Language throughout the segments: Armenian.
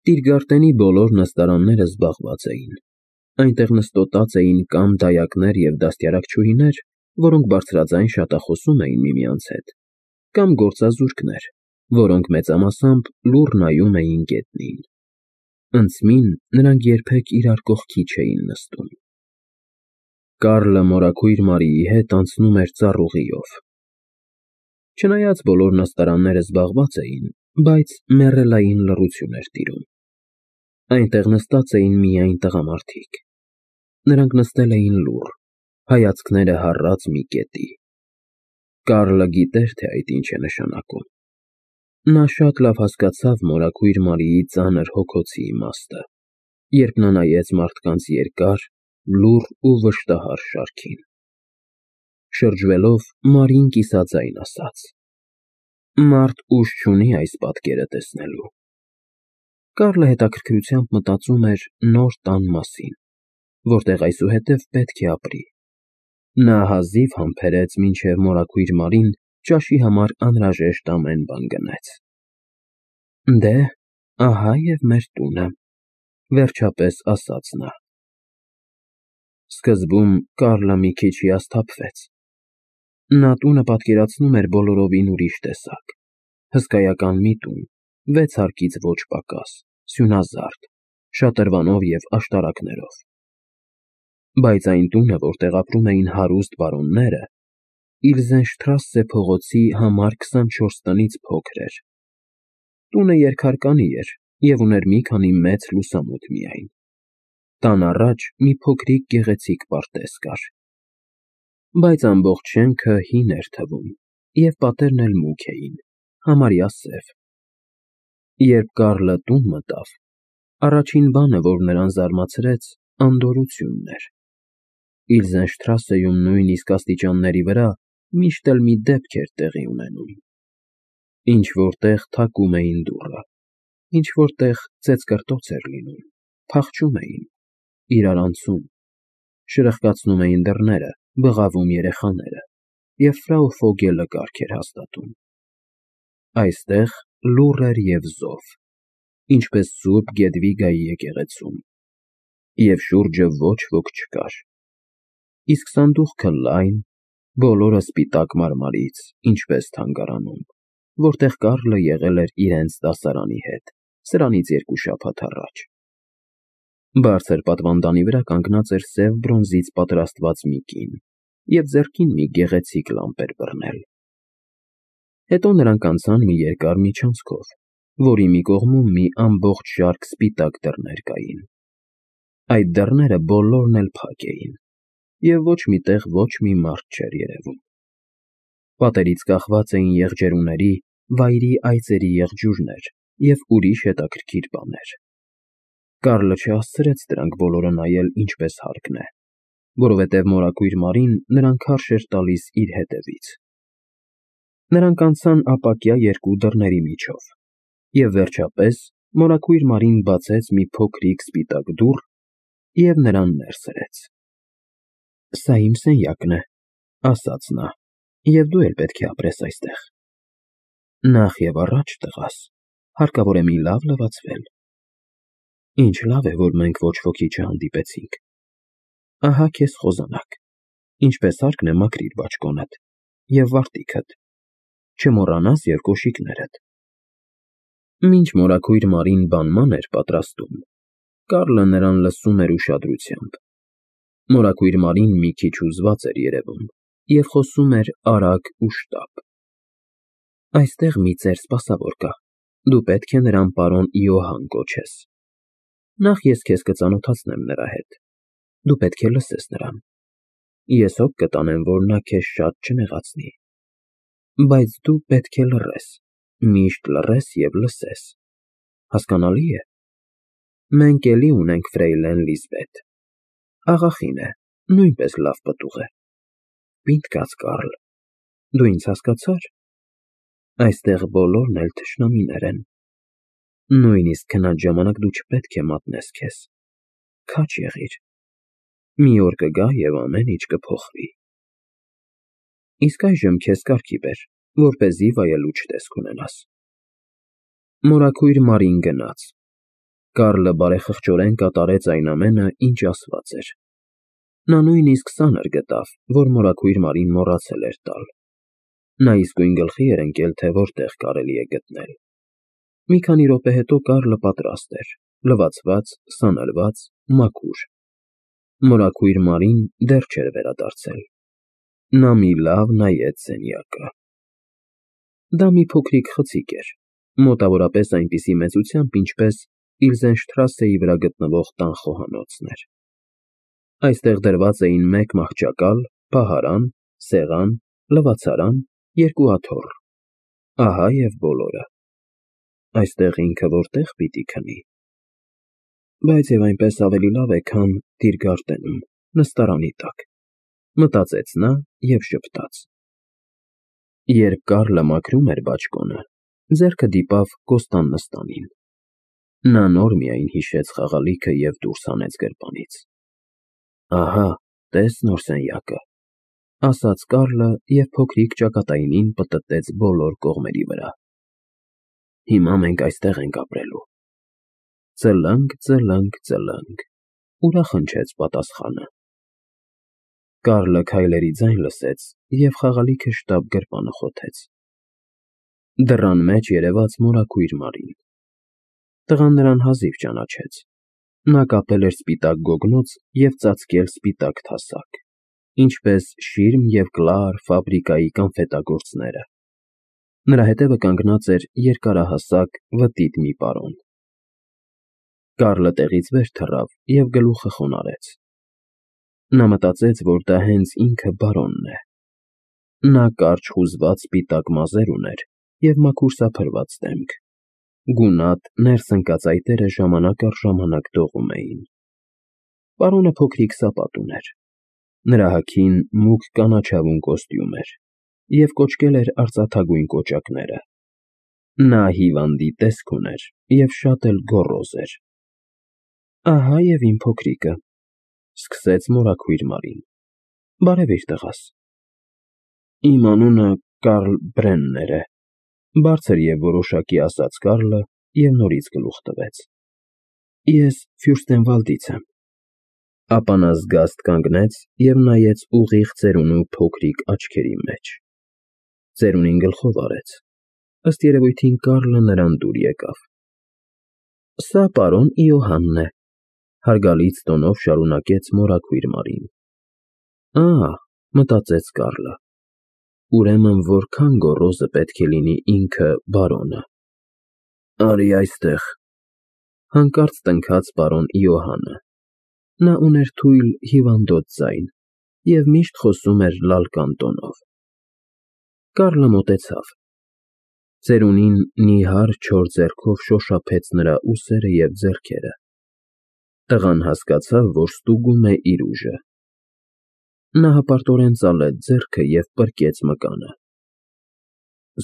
Տիրգարտենի բոլոր նստարանները զբաղված էին. այնտեղ նստոտած էին կամ դայակներ և դաստիարակչուհիներ, որոնք բարձրաձայն շատախոսում էին միմյանց հետ, կամ գործազուրկներ, որոնք մեծամասամբ լուռ նայում էին գետնին. ընդմին նրանք երբեք իրար կողքի չէին նստում։ Կարլը մորաքույր Մարիի հետ անցնում էր ծառուղիով։ Չնայած բոլոր նստարանները զբաղված էին, բայց մեռելային լռություն էր տիրում։ Այնտեղ նստած էին միայն տղամարդիկ։ Նրանք նստել էին լուռ, հայացքները հառած մի կետի։ Կարլը գիտեր, թե այդ ինչ է նշանակում։ Նա շատ լավ հասկացավ մորաքույր Մարիի ծանր հոգոցի իմաստը, երբ նա նայեց մարդկանց երկար, լուռ ու վշտահար շարքին։ Շրջվելով, Մարին կիսաձայն ասաց. «Մարդ ուժ չունի այս պատկերը տեսնելու»։ Կարլը հետաքրքրությամբ մտածում էր նոր տան մասին, որտեղ այսուհետև պետք է ապրի։ Նա հազիվ համբերեց, մինչև մորաքույր Մարին ճաշի համար անհրաժեշտ ամեն բան գնեց։ «Դե, ահա և մեր տունը», վերջապես ասաց նա։ Սկզբում Կարլը մի քիչ հիասթափվեց։ Նա տունը պատկերացնում էր բոլորովին ուրիշ տեսակ, հսկայական մի տուն, 6 հարկից ոչ պակաս, սյունազարդ, շատրվանով և աշտարակներով։ Բայց այն տունը, որտեղ ապրում էին հարուստ բարոնները, Իլզենշտրասե փողոցի համար 24 տնից փոքր էր։ Տունը երկհարկանի էր և ուներ մի քանի մեծ լուսամուտ միայն։ Տան առաջ մի փոքրիկ գեղեցիկ պարտեզ կար։ Բայց ամբողջ շենքը հին էր թվում, և պատերն էլ մուգ էին, համարյա սև։ Երբ Կարլը տուն մտավ, առաջին բանը, որ նրան զարմացրեց, անդորրությունն էր։ Իլզենշտրասեում նույնիսկ աստիճանների վրա միշտ էլ մի դեպք էր տեղի ունենում։ Ինչ֊որ տեղ թակում էին դուռը, ինչ֊որ տեղ ծեծկռտոց էր լինում, փախչում էին, իրար անցում, շրխկացնում էին դռները, բղավում երեխաները, և ֆրау Ֆոգելը կարգ էր հաստատում։ Այստեղ լուռ էր և զով, ինչպես Սուրբ Գեդվիգայի եկեղեցում, և շուրջը ոչ ոք չկար։ Իսկ սանդուղքը լայն, բոլորը սպիտակ մարմարից, ինչպես թանգարանում, որտեղ Կարլը եղել էր իրենց դասարանի հետ, սրանից 2 շաբաթ առաջ։ Բարձր պատվանդանի վրա կանգնած էր սև բրոնզից պատրաստված մի կին, և ձեռքին մի գեղեցիկ լամբ էր բռնել։ Հետո նրանք անցան մի երկար միջանցքով, որի մի կողմում մի ամբողջ շարք սպիտակ դռներ կային։ Այդ դռները բոլորն էլ փակ էին, և ոչ մի տեղ ոչ մի մարդ չէր երևում։ Պատերից կախված էին եղջերուների, վայրի այծերի եղջյուրներ և ուրիշ հետաքրքիր բաներ։ Կարլը չհասցրեց դրանք բոլորը նայել ինչպես հարկն է, որովհետև մորաքույր Մարին նրան քարշ էր տալիս իր հետևից։ Նրանք անցան ապակյա 2 դռների միջով, և վերջապես մորաքույր Մարին բացեց մի փոքրիկ սպիտակ դուռ և նրան ներս հրեց։ «Սա իմ սենյակն է», ասաց նա, «և դու էլ պետք է ապրես այստեղ։ Նախևառաջ, տղաս, հարկավոր է մի լավ լվացվել։ Ինչ լավ է, որ մենք ոչ ոքի չհանդիպեցինք։ Ահա քեզ խոզանակ, ինչպես հարկն է մաքրիր բաճկոնդ և վարտիքդ, չմոռանաս և կոշիկներդ»։ Մինչ մորաքույր Մարին բանման էր պատրաստում, Կարլը նրան լսում էր ուշադրությամբ։ Մորաքույր Մարին մի քիչ հուզված էր երևում և խոսում էր արագ ու շտապ։ «Այստեղ մի ծեր սպասավոր կա, դու պետք է նրան պարոն Իոհան կոչես։ Նախ ես քեզ կծանոթացնեմ նրա հետ, դու պետք է լսես նրան։ Ես հոգ կտանեմ, որ նա քեզ շատ չնեղացնի։ Բայց դու պետք է լռես, միշտ լռես և լսես։ Հասկանալի է։ Մենք էլի ունենք ֆրեյլեն Լիզբետ, աղախին է, նույնպես լավ պտուղ է։ Պինդ կաց, Կարլ, դու ինձ հասկացա՞ր։ Այստեղ բոլորն էլ թշնամիներ են։ Նույնիսկ քնած ժամանակ դու չպետք է մատնես քեզ։ Քաջ եղիր։ Մի օր կգա, և ամեն ինչ կփոխվի։ Իսկ այժմ քեզ կարգի բեր, որպեսզի վայելուչ տեսք ունենաս»։ Մորաքույր Մարին գնաց։ Կարլը բարեխղճորեն կատարեց այն ամենը, ինչ ասված էր։ Նա նույնիսկ սանր գտավ, որ մորաքույր Մարին մոռացել էր տալ։ Նա իսկույն գլխի էր ընկել, թե որտեղ կարելի է գտնել։ Մի քանի րոպե հետո Կարլը պատրաստ էր, լվացված, սանրված, մաքուր։ Մորաքույր Մարին դեռ չէր վերադարձել։ Նա մի լավ նայեց սենյակը։ Դա մի փոքրիկ խցիկ էր, մոտավորապես այնպիսի մեծությամբ, ինչպես Իլզենշտրասեի վրա գտնվող տան խոհանոցն էր։ Այստեղ դրված էին մեկ մահճակալ, պահարան, սեղան, լվացարան, երկու աթոռ։ Ահա և բոլորը։ Այստեղ ինքը որտե՞ղ պիտի քնի։ Բայց և այնպես ավելի լավ է, քան Տիրգարտենում, նստարանի տակ, մտածեց նա և ժպտաց։ Երբ Կարլը մաքրում էր բաճկոնը, ձեռքը դիպավ Կոստան նստանին։ Նա նոր միայն հիշեց խաղալիքը և դուրս հանեց գրպանից։ Ահա, տես նոր սենյակը, ասաց Կարլը և փոքրիկ ճակատայինին պտտեց բոլոր կողմերի վրա։ Հիմա մենք այստեղ ենք ապրելու։ Ծլնգ, ծլնգ, ծլնգ, ուրախ հնչեց պատասխանը։ Կարլը քայլերի ձայն լսեց և խաղալիքը շտապ գրպանը խոթեց։ Դռան մեջ երևաց մորաքույր Մարին։ Տղան նրան հազիվ ճանաչեց։ Նա կապել էր սպիտակ գոգնոց և ծածկել սպիտակ թասակ, ինչպես շիրմ և կլար ֆաբրիկայի կանֆետագործները։ Նրա հետևը կանգնած էր երկարահասակ, վտիտ մի պարոն։ Կարլը տեղից վեր թռավ և գլուխը խոնարհեց։ Նա մտածեց, որ դա հենց ինքը բարոնն է։ Նա կարճ խուզված սպիտակ մազեր ուներ և մաքուր սափրված դեմք։ Գունատ, ներս ընկած այտերը ժամանակ առ ժամանակ դողում էին։ Պարոնը փոքրիկ սապատ ուներ։ Նրա հագին մուգ կանաչավուն կոստյում էր և կոճկել էր արծաթագույն կոճակները։ Նա հիվանդի տեսք ուներ և շատ էլ գոռոզ էր։ Ահա և իմ փոքրիկը, սկսեց մորաքույր Մարին։ Բարևիր, տղաս։ Իմ անունը Կարլ Բրեններ է, բարձր և որոշակի ասաց Կարլը և նորից գլուխ տվեց։ Ես Ֆյուրստենվալդից եմ։ Ապա նա զգաստ կանգնեց և նայեց ուղիղ ծերունու փոքրիկ աչքերի մեջ։ Ծերունին գլխով արեց։ Ըստ երևույթին Կարլը նրան դուր եկավ։ Սա պարոն Իոհաննն է, հարգալից տոնով շարունակեց մորաքույր Մարին։ Մտածեց Կարլը, ուրեմն որքան գոռոզը պետք է լինի ինքը բարոնը։ Արի այստեղ, հանկարծ տնքաց պարոն Իոհանը։ Նա ուներ թույլ, հիվանդոտ ձայն և միշտ խոսում էր լալկան տոնով։ Կարլը մոտեցավ։ Ծերունին նիհար չոր ձեռքով շոշափեց նրա ուսերը և ձեռքերը։ Տղան հասկացավ, որ ստուգում է իր ուժը։ Նա հպարտորեն ծալեց ձեռքը և պրկեց մկանը։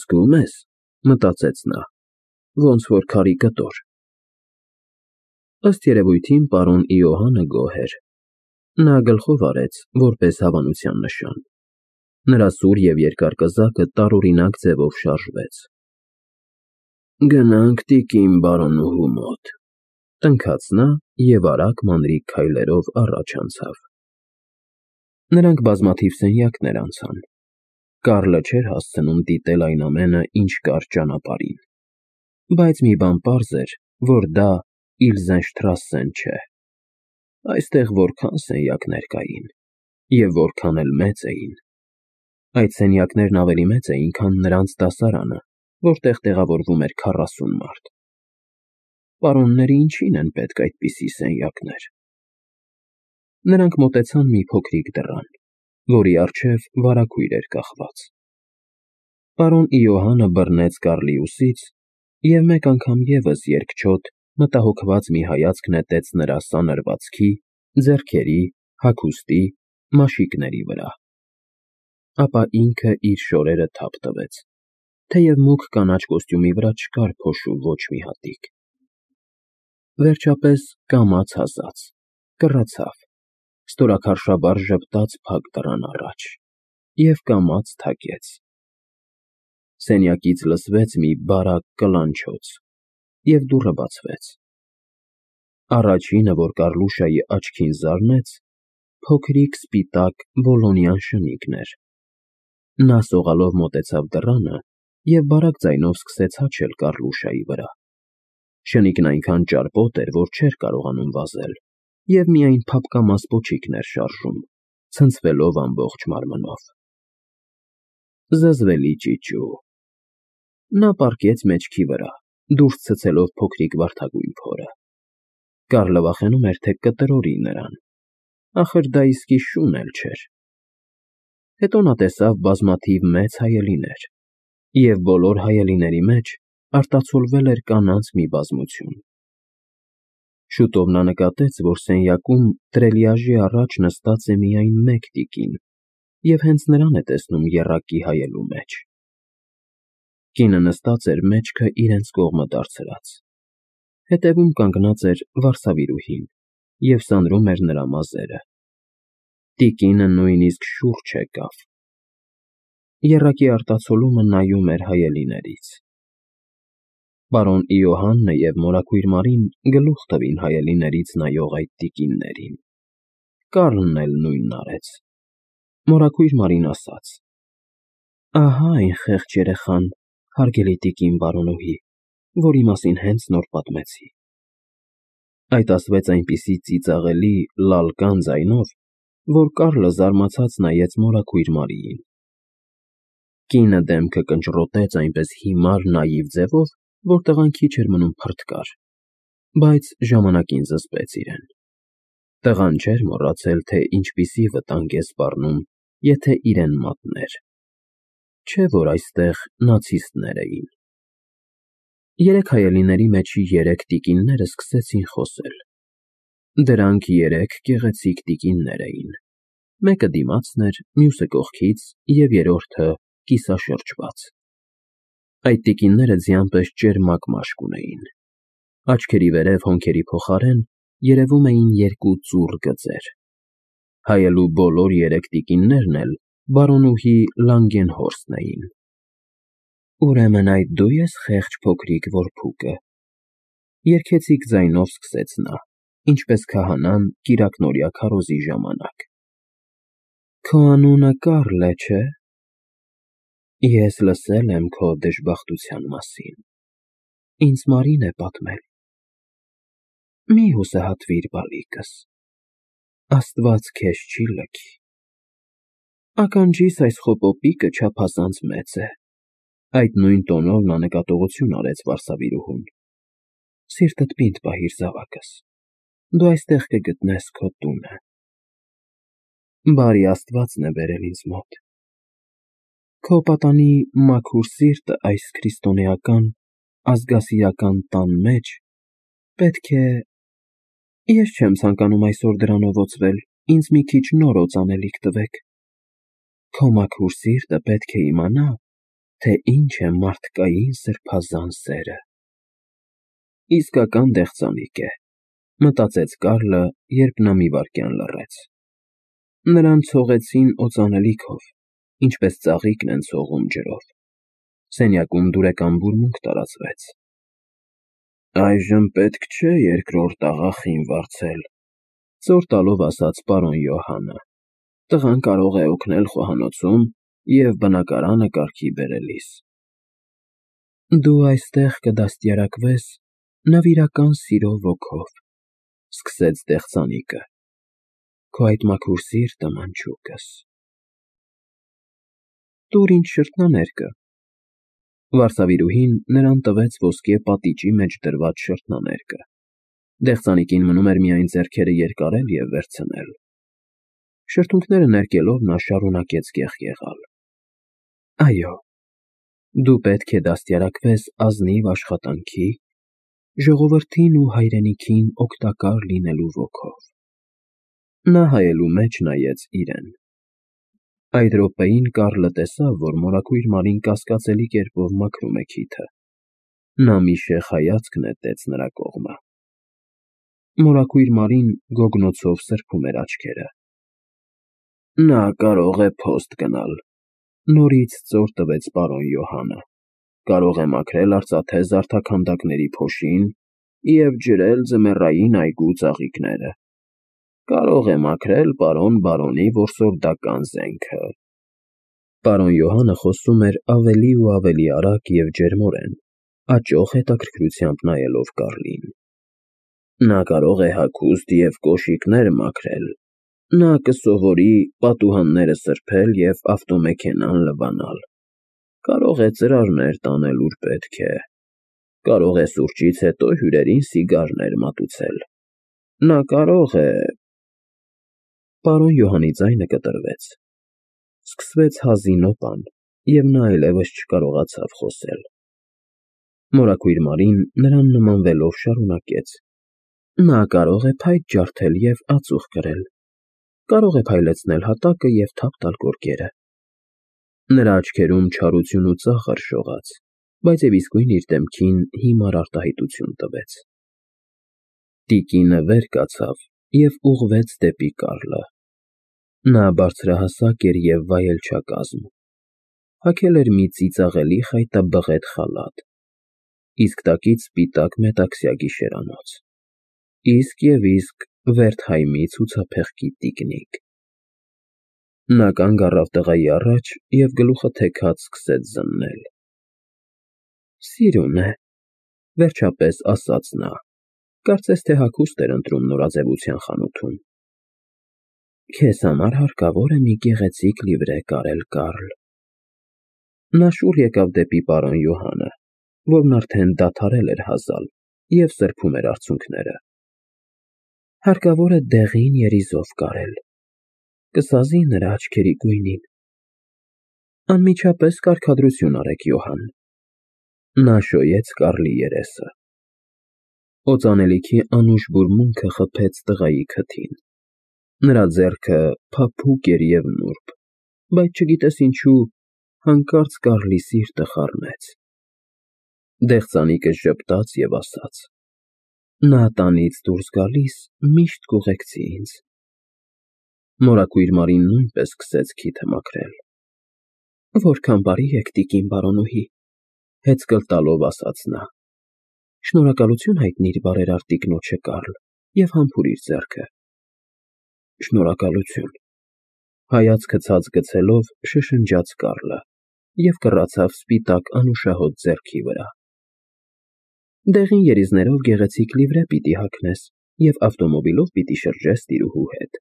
Զգո՞ւմ ես, մտածեց նա, ոնց որ քարի կտոր։ Ըստ երևույթին պարոն Իոհանը գոհ էր։ Նա գլխով արեց, որպես հավանության նշան։ Նրա սուր և երկար կզակը տարօրինակ ձևով շարժվեց։ Գնանք տիկին բարոնուհու մոտ, տնքաց նա և արագ մանրիկ քայլերով առաջ անցավ։ Նրանք բազմաթիվ սենյակներ անցան։ Կարլը չէր հասցնում դիտել այն ամենը, ինչ կար ճանապարհին։ Բայց մի բան պարզ էր, որ դա Իլզենշտրասեն չէ։ Այստեղ որքան սենյակներ կային, և որքան էլ մեծ էին։ Այդ սենյակներն ավելի մեծ էին, քան նրանց դասարանը, որտեղ տեղավորվում էր 40 մարդ։ Պարոնները ինչի՞ն են պետք այդպիսի սենյակներ։ Նրանք մոտեցան մի փոքրիկ դռան, որի առջև վարագույր էր կախված։ Պարոն Իոհանը բռնեց Կարլի ուսից և մեկ անգամ ևս երկչոտ, մտահոգված մի հայացք նետեց նրա սանրվածքի, ձեռքերի, հագուստի, մաշիկների վրա։ Ապա ինքը իր շորերը թափ տվեց, թեև մուգ կանաչ կոստյումի վրա չկար փոշու ոչ մի հատիկ։ Վերջապես կամաց հասած, կռացավ, ստորաքարշաբար ժպտաց փակ դռան առաջ և կամաց թակեց։ Սենյակից լսվեց մի բարակ կլանչոց, և դուռը բացվեց։ Առաջինը, որ Կառլուշայի աչքին զարնեց, փոքրիկ սպիտակ բոլոնյան շնիկն էր։ Նա սողալով մոտեցավ դռանը և բարակ ձայնով սկսեց հաչել Կառլուշայի վրա։ Շնիկն այնքան ճարպոտ էր, որ չէր կարողանում վազել, և միայն փափկամաս պոչիկն էր շարժում, ցնցվելով ամբողջ մարմնով։ Զզվելի ճիճու։ Նա պառկեց մեջքի վրա, դուրս ցցելով փոքրիկ վարդագույն փորը։ Կարլը վախենում էր, թե կտրորի նրան, ախր դա իսկի շուն էլ չէր։ Հետո նա տեսավ բազմաթիվ մեծ հայելիներ, և բոլոր հայելիների մեջ արտացոլվել էր կանանց մի բազմություն։ Շուտով նա նկատեց, որ սենյակում տրելիաժի առաջ նստած է միայն մեկ տիկին, և հենց նրան է տեսնում եռակի հայելու մեջ։ Կինը նստած էր մեջքը իրենց կողմը դարձրած։ Հետևում կանգնած էր վարսավիրուհին և սանրում էր նրա մազերը։ Տիկինը նույնիսկ շուրջ եկավ։ Եռակի արտացոլումը նայում էր հայելիներից։ Պարոն Իոհաննը և մորաքույր Մարին գլուխ տվին հայելիներից նայող այդ տիկիններին։ Կարլն էլ նույնն արեց։ Մորաքույր Մարին ասաց. «Ահա այն խեղճ երեխան, հարգելի տիկին բարոնուհի, որի մասին հենց նոր պատմեցի»։ Այդ ասվեց այնպիսի ծիծաղելի, լալկան ձայնով, որ Կարլը զարմացած նայեց մորաքույր Մարիին։ Կինը դեմքը կնճռոտեց այնպես հիմար, նաիվ ձևով, որ տղան քիչ էր մնում փռթկար, բայց ժամանակին զսպեց իրեն։ Տղան չէր մոռացել, թե ինչպիսի վտանգ է սպառնում, եթե իրեն մատներ։ Չէ՞ որ այստեղ նացիստներ էին։ Երեք հայելիների մեջի երեք տիկինները սկսեցին խոսել։ Դրանք երեք գեղեցիկ տիկիններ էին։ Մեկը դիմացն էր, մյուսը կողքից և երրորդը կիսաշրջված։ Այդ տիկինները ձյան պես ճերմակ մաշկ ունեին։ Աչքերի վերև հոնքերի փոխարեն երևում էին երկու ծուռ գծեր։ Հայելու բոլոր երեք տիկիններն էլ բարոնուհի Լանգենհորստն էին։ «Ուրեմն այդ դու ես խեղճ փոքրիկ որփուկը», երգեցիկ ձայնով սկսեց նա, ինչպես քահանան կիրակնօրյա քարոզի ժամանակ։ «Քո անունը Կարլ է, չէ՞։ Ես լսել եմ քո դժբախտության մասին։ Ինձ Մարին է պատմել։ Մի հուսահատվիր, բալիկս, Աստված քեզ չի լքի։ Ականջիս այս խոպոպիկը չափազանց մեծ է»։ Այդ նույն տոնով նա նկատողություն արեց վարսավիրուհուն։ «Սիրտդ պինդ պահիր, զավակս, դու այստեղ կգտնես քո տունը։ Բարի Աստվածն է բերել ինձ մոտ։ Քո պատանի մաքուր սիրտը այս քրիստոնեական, ազգասիրական տան մեջ պետք է… Ես չեմ ցանկանում այսօր դրանով օծվել, ինձ մի քիչ նոր օծ անելիք տվեք։ Քո մաքուր սիրտը պետք է իմանա, թե ինչ է մարդկային սրբազան սերը»։ Իսկական դեղձանիկ է, մտածեց Կարլը, երբ նա մի վայրկյան լռեց։ Նրան ցողեցին օծանելիքով, ինչպես ծաղիկն են ցողում ջրով։ Սենյակում դուրեկան բուրմունք տարածվեց։ «Այժմ պետք չէ երկրորդ աղախին վարձել», ծոր տալով ասաց պարոն Յոհանը։ «Տղան կարող է օգնել խոհանոցում և բնակարանը կարգի բերելիս»։ «Դու այստեղ կդաստիարակվես նվիրական սիրո ոգով», սկսեց դեղձանիկը։ «Քո այդ մաքուր սիրտը, մանչուկս»։ «Տուր ինձ շրթնաներկը»։ Վարսավիրուհին նրան տվեց ոսկե պատիճի մեջ դրված շրթնաներկը։ Դեղձանիկին մնում էր միայն ձեռքերը երկարել և վերցնել։ Շրթունքները ներկելով նա շարունակեց կեղկեղալ. «Այո, դու պետք է դաստիարակվես ազնիվ աշխատանքի, ժողովրդին ու հայրենիքին օգտակար լինելու ոգով»։ Նա հայելու մեջ նայեց իրեն։ Այդ րոպեին Կարլը տեսավ, որ մորաքույր Մարին կասկածելի կերպով մաքրում է քիթը։ Նա մի շեխ հայացք նետեց նրա կողմը։ Մորաքույր Մարին գոգնոցով սրբում էր աչքերը։ «Նա կարող է փոստ գնալ», նորից ծոր տվեց պարոն Յոհանը։ «Կարող է մաքրել արծաթե զարդաքանդակների փոշին և ջրել ձմեռային այգու ծաղիկները։ Կարող է մաքրել պարոն բարոնի որսորդական զենքը։ Պարոն Յոհանը խոսում էր ավելի ու ավելի արագ և ջերմորեն, աճող հետաքրքրությամբ նայելով Կարլին։ Նա կարող է հագուստ և կոշիկներ մաքրել, նա կսովորի պատուհանները սրբել և ավտոմեքենան լվանալ, կարող է ծրարներ տանել ուր պետք է, կարող է սուրճից հետո հյուրերին սիգարներ մատուցել, նա կարող է… Պարոն Յոհանի ձայնը կտրվեց, սկսվեց հազին օպան, և նա այլևս չկարողացավ խոսել։ Մորաքույր Մարին նրան նմանվելով շարունակեց. Նա կարող է փայտ ջարդել և ածուխ կրել, կարող է փայլեցնել հատակը և թափ տալ գորգերը։ Նրա աչքերում չարություն ու ծախ արշողաց, բայց և իսկույն իր դեմքին հիմար արտահայտություն տվեց։ Տիկինը վեր կացավ և ուղղվեց դեպի Կարլը։ Նա բարձրահասակ էր և վայելչակազմ, հագել էր մի ծիծաղելի խայտաբղետ խալաթ, իսկ տակից սպիտակ մետաքսյա գիշերանոց, իսկ Վերթհայմի ցուցափեղկի տիկնիկ։ Նա կանգ առավ տղայի առաջ և գլուխը թեքած սկսեց զննել։ Սիրուն է, վերջապես ասաց նա, կարծես թե հագուստ էր ընտրում նորաձևության խանութում։ Քեզ համար հարկավոր է մի գեղեցիկ լիվրե կարել, Կարլ։ Նա շուռ եկավ դեպի պարոն Յոհանը, որն արդեն դադարել էր հազալ և սրբում էր արցունքները։ Հարկավոր է դեղին երիզով կարել, կսազի նրա աչքերի գույնին։ Անմիջապես կարգադրություն արեք, Յոհան։ Նա շոյեց Կարլի երեսը։ Օծանելիքի անուշ բուրմունքը խփեց տղայի քթին։ Նրա ձեռքը փափուկ էր և նուրբ, բայց չգիտես ինչու, հանկարծ Կարլի սիրտը խառնեց։ Դեղձանիկը ժպտաց և ասաց. Նա տանից դուրս գալիս միշտ կուղեկցի ինձ։ Մորաքույր Մարին նույնպես սկսեց քիթը մաքրել։ Որքան բարի եք, տիկին բարոնուհի, հեծկլ տալով ասաց նա։ Շնորհակալություն հայտնիր բարերար տիկնոջը, Կարլ, և համբուրիր ձեռքը։ Շնորհակալություն, հայացքը ցած գցելով շշնջաց Կարլը և կռացավ սպիտակ անուշահոտ ձեռքի վրա։ Դեղին երիզներով գեղեցիկ լիվրե պիտի հագնես և ավտոմոբիլով պիտի շրջես տիրուհու հետ,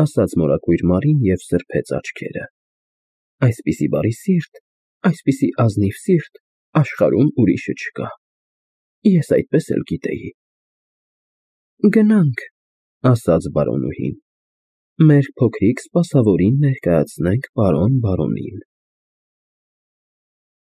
ասաց մորաքույր Մարին և սրբեց աչքերը։ Այսպիսի բարի սիրտ, այսպիսի ազնիվ սիրտ աշխարհում ուրիշը չկա։ Ես այդպես էլ գիտեի։ Գնանք, ասաց բարոնուհին, մեր փոքրիկ սպասավորին ներկայացնենք պարոն բարոնին։